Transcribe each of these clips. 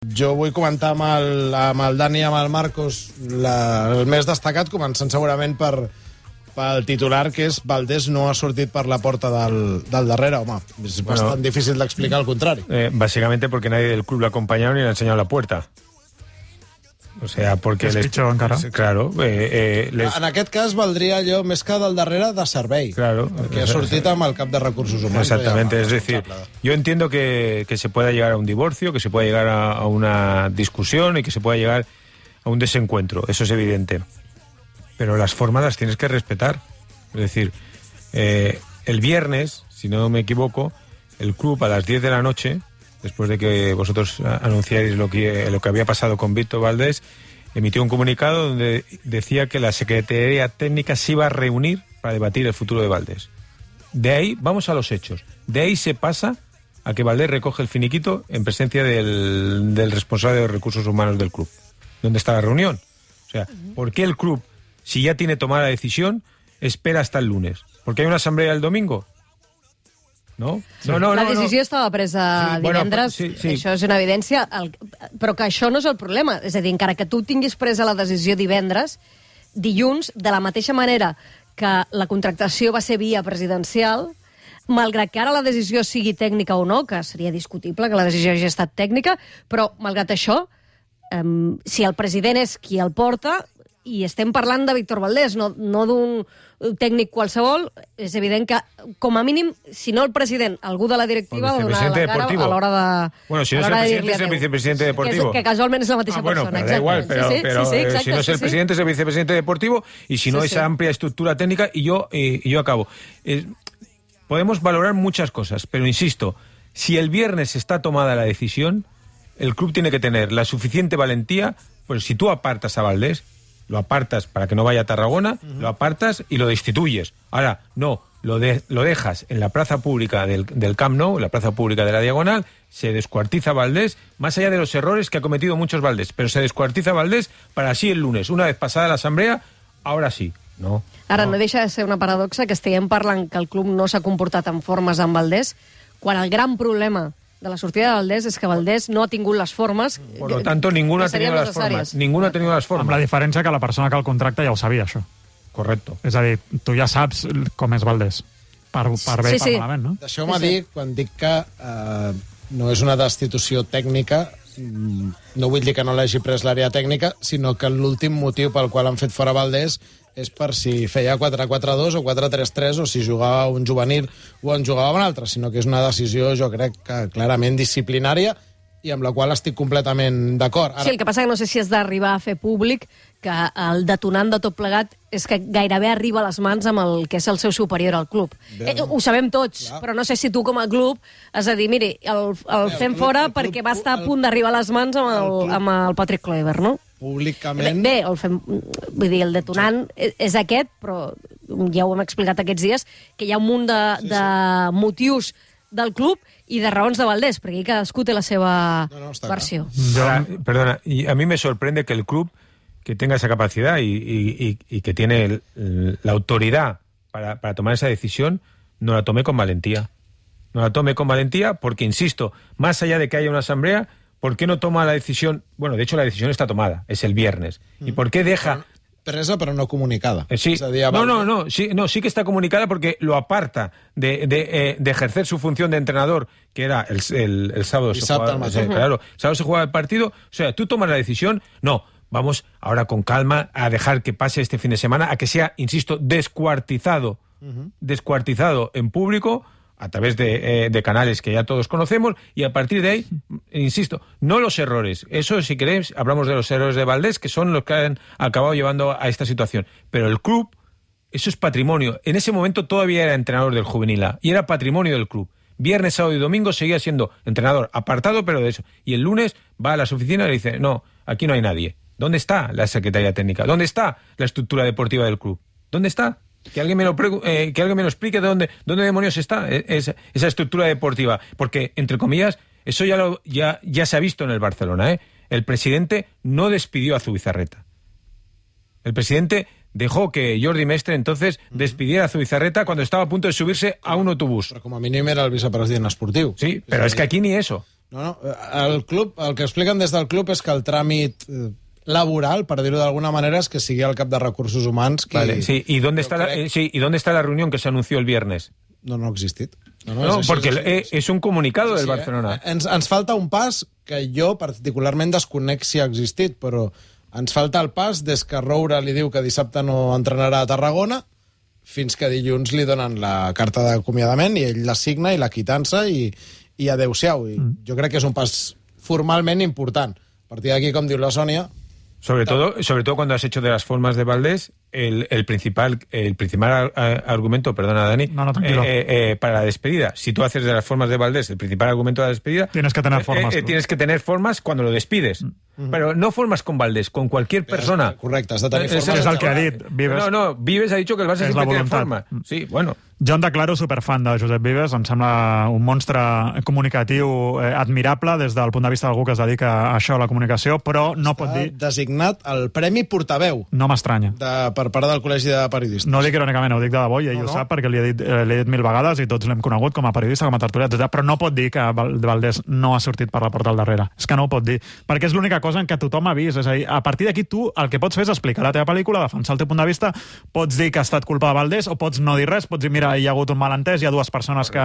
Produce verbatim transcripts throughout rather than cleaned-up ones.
Jo vull comentar amb el, amb el Dani i amb el Marcos la, el més destacat, començant segurament per, pel titular, que és Valdés no ha sortit per la porta del, del darrere. Home, és bueno, bastant difícil d'explicar el contrari. Eh, básicamente porque nadie del club lo ha acompañado ni le ha enseñado la puerta. O sea, porque... És pitjor encara. Claro. Eh, eh, les... En aquest cas valdria allò més que del darrere de servei. Claro. Perquè ha sortit amb el cap de recursos humans. Exactamente, es decir, yo entiendo que, que se pueda llegar a un divorcio, que se pueda llegar a, a una discusión y que se pueda llegar a un desencuentro, eso es evidente. Pero las formas las tienes que respetar. Es decir, eh, el viernes, si no me equivoco, el club a las diez de la noche... después de que vosotros anunciáis lo que, lo que había pasado con Víctor Valdés, emitió un comunicado donde decía que la Secretaría Técnica se iba a reunir para debatir el futuro de Valdés. De ahí, vamos a los hechos, de ahí se pasa a que Valdés recoge el finiquito en presencia del, del responsable de recursos humanos del club. ¿Dónde está la reunión? O sea, ¿por qué el club, si ya tiene tomada la decisión, espera hasta el lunes? ¿Porque hay una asamblea el domingo? No? No, no, la no, decisió no. estava presa sí, divendres, bueno, sí, sí. Això és una evidència, el, però que això no és el problema. És a dir, encara que tu tinguis presa la decisió divendres, dilluns, de la mateixa manera que la contractació va ser via presidencial, malgrat que ara la decisió sigui tècnica o no, que seria discutible que la decisió hagi estat tècnica, però malgrat això, eh, si el president és qui el porta, i estem parlant de Víctor Valdés, no, no d'un tècnic qualsevol, és evident que, com a mínim, si no el president, algú de la directiva va donar la cara a l'hora de... Bueno, si no es el presidente, es el vicepresidente deportivo. Que, que casualment és la mateixa ah, bueno, persona. Pero da igual, pero, sí, sí, pero sí, sí, exacte, si no es el sí, presidente, sí. es el vicepresidente deportivo, y si no, sí, esa sí. amplia estructura técnica, y yo, eh, y yo acabo. Eh, podemos valorar muchas cosas, pero insisto, si el viernes está tomada la decisión, el club tiene que tener la suficiente valentía, pues si tú apartas a Valdés, lo apartas para que no vaya a Tarragona, uh-huh. lo apartas y lo destituyes. Ahora, no, lo, de, lo dejas en la plaza pública del, del Camp Nou, en la plaza pública de la Diagonal, se descuartiza Valdés, más allá de los errores que ha cometido muchos Valdés, pero se descuartiza Valdés para así el lunes, una vez pasada la asamblea, ahora sí, no. Ara, no, no deixa de ser una paradoxa que estiguem parlant que el club no s'ha comportat en formes amb Valdés, quan el gran problema de la sortida de Valdés és que Valdés no ha tingut les formes. Por lo tanto, ninguno ha tenido las formas. Ninguno ha tenido las formas. Amb la diferència que la persona que el contracta ja ho sabia, això. Correcto. És a dir, tu ja saps com és Valdés. Per, per bé i sí, per sí. malament, no? Deixeu-me Sí, sí. dir, quan dic que eh, no és una destitució tècnica, no vull dir que no l'hagi pres l'àrea tècnica, sinó que l'últim motiu pel qual han fet fora Valdés és per si feia quatre quatre dos o quatre tres tres o si jugava un juvenil o en jugava un altre, sinó que és una decisió, jo crec, que clarament disciplinària i amb la qual estic completament d'acord. Ara... Sí, el que passa que no sé si has d'arribar a fer públic que el detonant de tot plegat és que gairebé arriba a les mans amb el que és el seu superior al club. Eh, ho sabem tots, clar. Però no sé si tu com a club has de dir, miri, el, el Bé, fem el club, fora el club, perquè va estar el, a punt d'arribar a les mans amb el, el amb el Patrick Kluivert, no? Públicament... Bé, bé el, fem, vull dir, el detonant sí. és aquest, però ja ho hem explicat aquests dies, que hi ha un munt de, sí, sí. de motius del club y de raons de Valdés, perquè cadascú té la seva no, no, versió. Ahora, perdona, y a mí me sorprende que el club que tenga esa capacidad y, y, y que tiene el, el, la autoridad para, para tomar esa decisión, no la tome con valentía. No la tome con valentía porque, insisto, más allá de que haya una asamblea, ¿por qué no toma la decisión? Bueno, de hecho la decisión está tomada, es el viernes. Mm. ¿Y por qué deja... Presa, pero no comunicada. Eh, sí. O sea, día, no, no, no, sí, no, sí que está comunicada porque lo aparta de, de, eh, de ejercer su función de entrenador, que era el, el, el sábado. Se jugaba, eh, claro, el sábado se jugaba el partido. O sea, tú tomas la decisión, no, vamos ahora con calma a dejar que pase este fin de semana, a que sea, insisto, descuartizado, uh-huh. descuartizado en público, a través de, eh, de canales que ya todos conocemos, y a partir de ahí, insisto, no los errores. Eso, si queréis, hablamos de los errores de Valdés, que son los que han acabado llevando a esta situación. Pero el club, eso es patrimonio. En ese momento todavía era entrenador del Juvenil A, y era patrimonio del club. Viernes, sábado y domingo seguía siendo entrenador, apartado, pero de eso. Y el lunes va a las oficinas y le dice, no, aquí no hay nadie. ¿Dónde está la Secretaría Técnica? ¿Dónde está la estructura deportiva del club? ¿Dónde está? Que alguien me lo pregu- eh, que alguien me lo explique de dónde, dónde demonios está esa, esa estructura deportiva. Porque, entre comillas, eso ya, lo, ya, ya se ha visto en el Barcelona, ¿eh? El presidente no despidió a Zubizarreta. El presidente dejó que Jordi Mestre entonces despidiera a Zubizarreta cuando estaba a punto de subirse a un autobús. Però com a mínim era el vicepresident esportiu. Sí, però és que aquí ni eso. No, no, el club, el que expliquen des del club és que el tràmit laboral, per dir-ho d'alguna manera, és que sigui el cap de recursos humans qui... Vale, sí, ¿y dónde, está crec... la, eh, sí, ¿y dónde está la reunión que se anunció el viernes? No, no ha existit. No, no, no és porque així, és, és un comunicado sí, del Barcelona. Eh? Ens, ens falta un pas que jo particularment desconec si ha existit, però ens falta el pas des que Roura li diu que dissabte no entrenarà a Tarragona fins que dilluns li donen la carta d'acomiadament i ell la signa i la quitança i, i adeu-siau. I mm. Jo crec que és un pas formalment important. A partir d'aquí, com diu la Sònia... Sobre todo, sobre todo cuando has hecho de las formas de Valdés el, el principal el principal argumento, perdona Dani, no, no, tranquilo. Eh, eh, para la despedida. Si tú haces de las formas de Valdés el principal argumento de la despedida, tienes que tener formas. Eh, eh, tienes que tener formas cuando lo despides. Mm. Pero no formas con Valdés, con cualquier persona. Correcte, has de tenir formes. És el que ha dit Vives. No, no, Vives ha dit que el Barça sempre té forma. Sí, bueno. Jo em declaro superfan de Josep Vives, em sembla un monstre comunicatiu eh, admirable des del punt de vista d'algú que es dedica a això, a la comunicació, però no Està pot dir... designat el Premi Portaveu. No m'estranya. Per part del Col·legi de Periodistes. No ho dic irònicament, ho dic de debò, i ell no, no. ho sap perquè li he dit, eh, dit mil vegades i tots l'hem conegut com a periodista, com a tertulià, etcètera. Però no pot dir que Valdés no ha sortit per la porta al darrere. És que no ho pot dir, perquè és l'única cosa en què tothom ha vist. És a dir, a partir d'aquí tu el que pots fer és explicar la teva pel·lícula, defensar el teu punt de vista, pots dir que ha estat culpa de Valdés o pots no dir res, pots dir, mira, hi ha hagut un malentès, hi ha dues persones que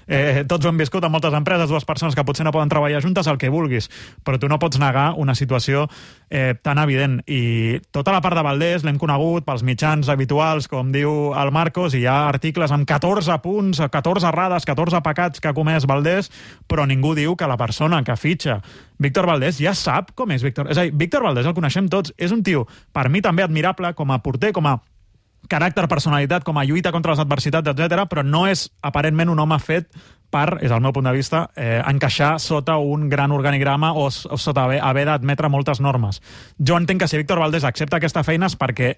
eh, tots ho hem viscut en moltes empreses, dues persones que potser no poden treballar juntes, el que vulguis, però tu no pots negar una situació eh, tan evident. I tota la part de Valdés l'hem conegut pels mitjans habituals, com diu el Marcos, i hi ha articles amb catorze punts, catorze errades, catorze pecats que ha comès Valdés, però ningú diu que la persona que fitxa Víctor Valdés ja sap com és Víctor. És a dir, Víctor Valdés el coneixem tots, és un tio, per mi també admirable, com a porter, com a caràcter, personalitat, com a lluita contra les adversitats, etcètera, però no és aparentment un home fet per, és el meu punt de vista, eh, encaixar sota un gran organigrama o, o sota haver, haver d'admetre moltes normes. Jo entenc que si Víctor Valdés accepta aquesta feina és perquè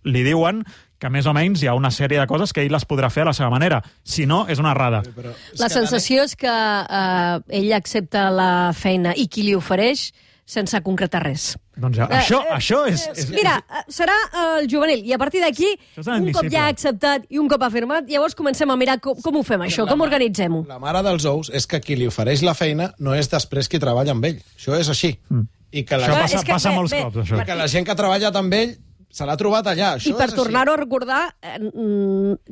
li diuen que més o menys hi ha una sèrie de coses que ell les podrà fer a la seva manera. Si no, és una errada. La sensació és que eh, ell accepta la feina i qui li ofereix sense concretar res. Doncs ja, uh, això, uh, això és, és... Mira, serà el juvenil, i a partir d'aquí, un cop ja ha acceptat i un cop ha firmat, llavors comencem a mirar com, com ho fem, això, com organitzem-ho. La mare dels ous és que qui li ofereix la feina no és després qui treballa amb ell. Això és així. Mm. I que la això gent... passa, que, passa bé, molts bé, cops, això. I que la gent que ha treballat amb ell se l'ha trobat allà. Això I per tornar-ho a recordar, eh,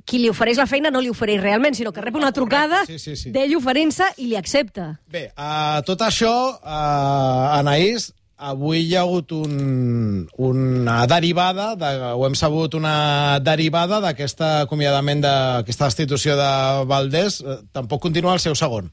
qui li ofereix la feina no li ofereix realment, sinó que rep una trucada sí, sí, sí. d'ell oferint-se i li accepta. Bé, uh, tot això, uh, Anaïs, avui hi ha hagut un, una derivada, de, ho hem sabut, una derivada d'aquest acomiadament, d'aquesta destitució de Valdés. Tampoc continua el seu segon.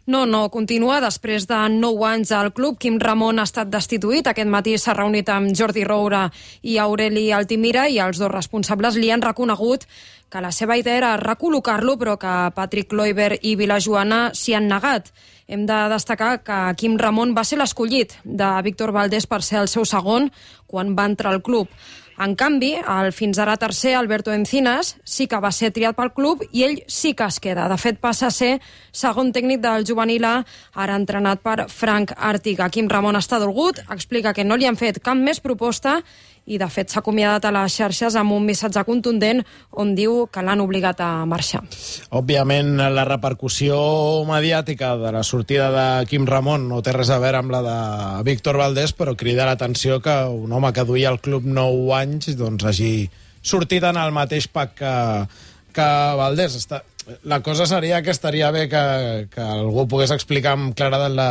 No, no, continua. Després de nou anys al club, Quim Ramon ha estat destituït. Aquest matí s'ha reunit amb Jordi Roura i Aureli Altimira i els dos responsables li han reconegut que la seva idea era recol·locar-lo, però que Patrick Kluivert i Vilajoana s'hi han negat. Hem de destacar que Quim Ramon va ser l'escollit de Víctor Valdés per ser el seu segon quan va entrar al club. En canvi, el fins ara tercer, Alberto Encinas, sí que va ser triat pel club i ell sí que es queda. De fet, passa a ser segon tècnic del juvenil A, ara entrenat per Frank Artiga. Quim Ramon està dolgut, explica que no li han fet cap més proposta i, de fet, s'ha acomiadat a les xarxes amb un missatge contundent on diu que l'han obligat a marxar. Òbviament, la repercussió mediàtica de la sortida de Quim Ramon no té res a veure amb la de Víctor Valdés, però crida l'atenció que un home que duia al club nou anys doncs hagi sortit en el mateix pack que, que Valdés. Està... La cosa seria que estaria bé que, que algú pogués explicar amb claredat la,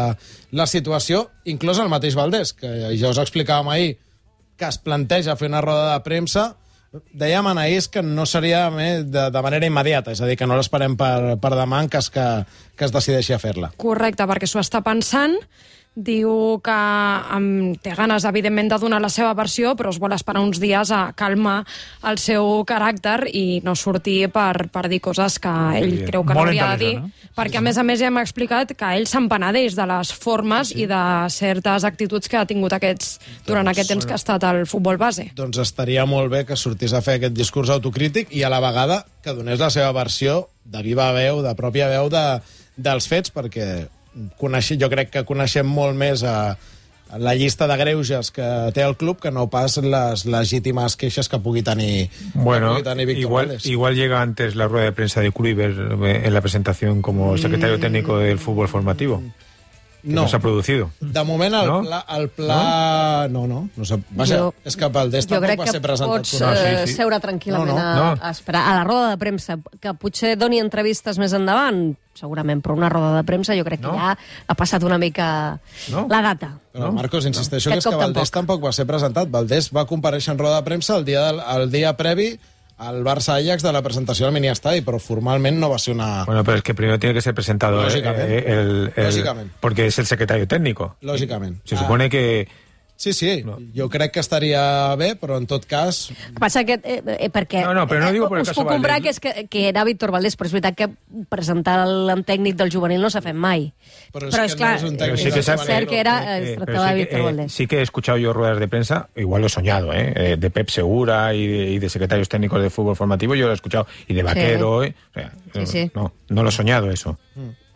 la situació, inclús el mateix Valdés, que ja us explicàvem ahir que es planteja fer una roda de premsa. Dèiem, Anaïs, que no seria de, de manera immediata, és a dir, que no l'esperem per, per demà en cas que, que es decideixi a fer-la. Correcte, perquè s'ho està pensant. Diu que um, té ganes, evidentment, de donar la seva versió, però es vol esperar uns dies a calmar el seu caràcter i no sortir per, per dir coses que ell creu que no hauria de dir. No? Perquè, a més a més, ja hem explicat que ell se'n penedeix de les formes sí, sí. i de certes actituds que ha tingut aquests, durant doncs, aquest temps que ha estat al futbol base. Doncs estaria molt bé que sortís a fer aquest discurs autocrític i a la vegada que donés la seva versió de viva veu, de pròpia veu de, dels fets, perquè Coneixer, jo crec que coneixem molt més a, a la llista de greuges que té el club que no pas les legítimes queixes que pugui tenir, bueno, que pugui tenir Víctor igual, Valdés. Igual llega antes la rueda de prensa de Kluivert en la presentación como secretario técnico del fútbol formativo. No. no s'ha producido. De moment, el no? pla... El pla... No, no. no, no Vaja, jo, és que Valdés tampoc va ser presentat. Jo crec que pots no, sí, sí. seure tranquil·lament no, no. A, no. a esperar a la roda de premsa, que potser doni entrevistes més endavant, segurament, però una roda de premsa jo crec que no. ja ha passat una mica no. la data. Però, Marcos, insisteixo no. que és que Valdés tampoc. tampoc va ser presentat. Valdés va comparèixer en roda de premsa el dia, del, el dia previ al Barça-Ajax de la presentació del mini-estadi, però formalment no va ser una... Bueno, pero es que primero tiene que ser presentado Lógicamente. Eh, el, el, Lógicamente. porque es el secretario técnico. Lógicamente. Se supone ah. que... Sí, sí, no. jo crec que estaria bé, però en tot cas... El que passa que, eh, eh, perquè... No, no, però no digo por el us caso puc comprar Valdés. que, és que, que era Víctor Valdés, però és veritat que presentar el tècnic del juvenil no s'ha fet mai. Però és, però és és clar, no és un Pero tècnic sí que del sabe- és juvenil. cert que era, Eh, es pero tractava sí de que, Víctor eh, Valdés. sí que he escuchado yo ruedas de prensa, igual lo he soñado, ¿eh? Eh, de Pep Segura y de, y de secretarios técnicos de fútbol formativo, yo lo he escuchado, y de Vaquero, ¿eh? O sea, Sí, sí. No, no lo he soñado eso.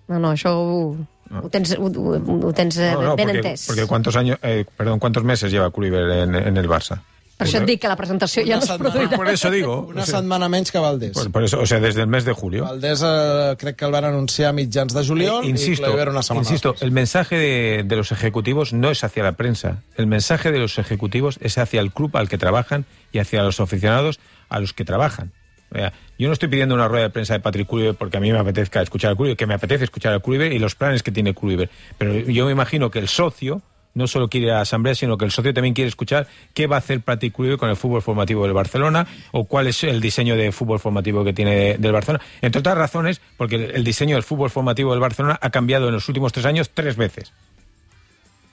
No, no, això ho, ho tens, ho, ho, ho tens No, no, ben porque, entès. porque cuántos años, eh, perdón, cuántos meses lleva Kluivert en, en el Barça. Per això et dic que la presentació ja no es setmana. produirà. Por eso digo. Una o sea, setmana menys que Valdés. por, por eso, o sea, desde el mes de julio. Valdés eh, crec que el van anunciar a mitjans de juliol Eh, insisto, i Kluivert una setmana insisto, després. el mensaje de, de los ejecutivos no es hacia la prensa. El mensaje de los ejecutivos es hacia el club al que trabajan y hacia los aficionados a los que trabajan. O sea, yo no estoy pidiendo una rueda de prensa de Patrick Kluivert porque a mí me apetezca escuchar al Kluivert, que me apetece escuchar al Kluivert y los planes que tiene Kluivert. Pero yo me imagino que el socio no solo quiere ir a la asamblea, sino que el socio también quiere escuchar qué va a hacer Patrick Kluivert con el fútbol formativo del Barcelona o cuál es el diseño de fútbol formativo que tiene del Barcelona. Entre otras razones, porque el diseño del fútbol formativo del Barcelona ha cambiado en los últimos tres años tres veces.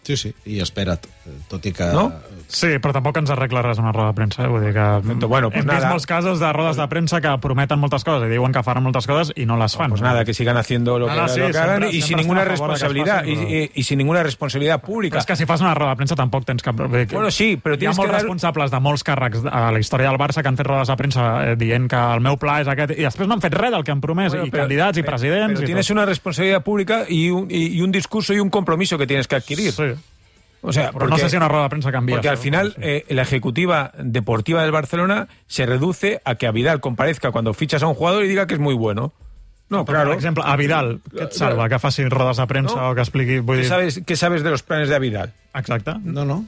Sí, sí, i espera't, tot i que... No? Sí, però tampoc ens arregla res una roda de premsa. Eh? Vull dir que Bueno, pues hem vist nada. molts casos de rodes de premsa que prometen moltes coses i diuen que faran moltes coses i no les fan. Pues nada, que sigan haciendo lo que, Nada, sí, lo que hagan siempre- y sin siempre ninguna estem a favor de que es responsabilidad faci, y, però- y- y sin ninguna responsabilidad Però pública. és que si fas una roda de premsa tampoc tens cap... Bueno, sí, però Hi ha tienes molts que dar- responsables de molts càrrecs a la història del Barça que han fet rodes de premsa eh, dient que el meu pla és aquest i després no han fet res del que han promès, Bueno, i pero- candidats i pero- presidents pero i tienes tot. una responsabilidad pública y un, y, y un discurso y un compromiso que tienes que adquirir. Sí. O sea, Però no sé si una roda de premsa canvia. Porque al això. final eh, la ejecutiva deportiva del Barcelona se reduce a que a Vidal comparezca cuando fichas a un jugador y diga que es muy bueno. No, Però, claro. Per exemple, a Vidal, què et salva? Que faci rodes de premsa No. o que expliqui... Vull ¿Qué dir... sabes, ¿Qué sabes de los planes de Vidal? Exacte. No, no.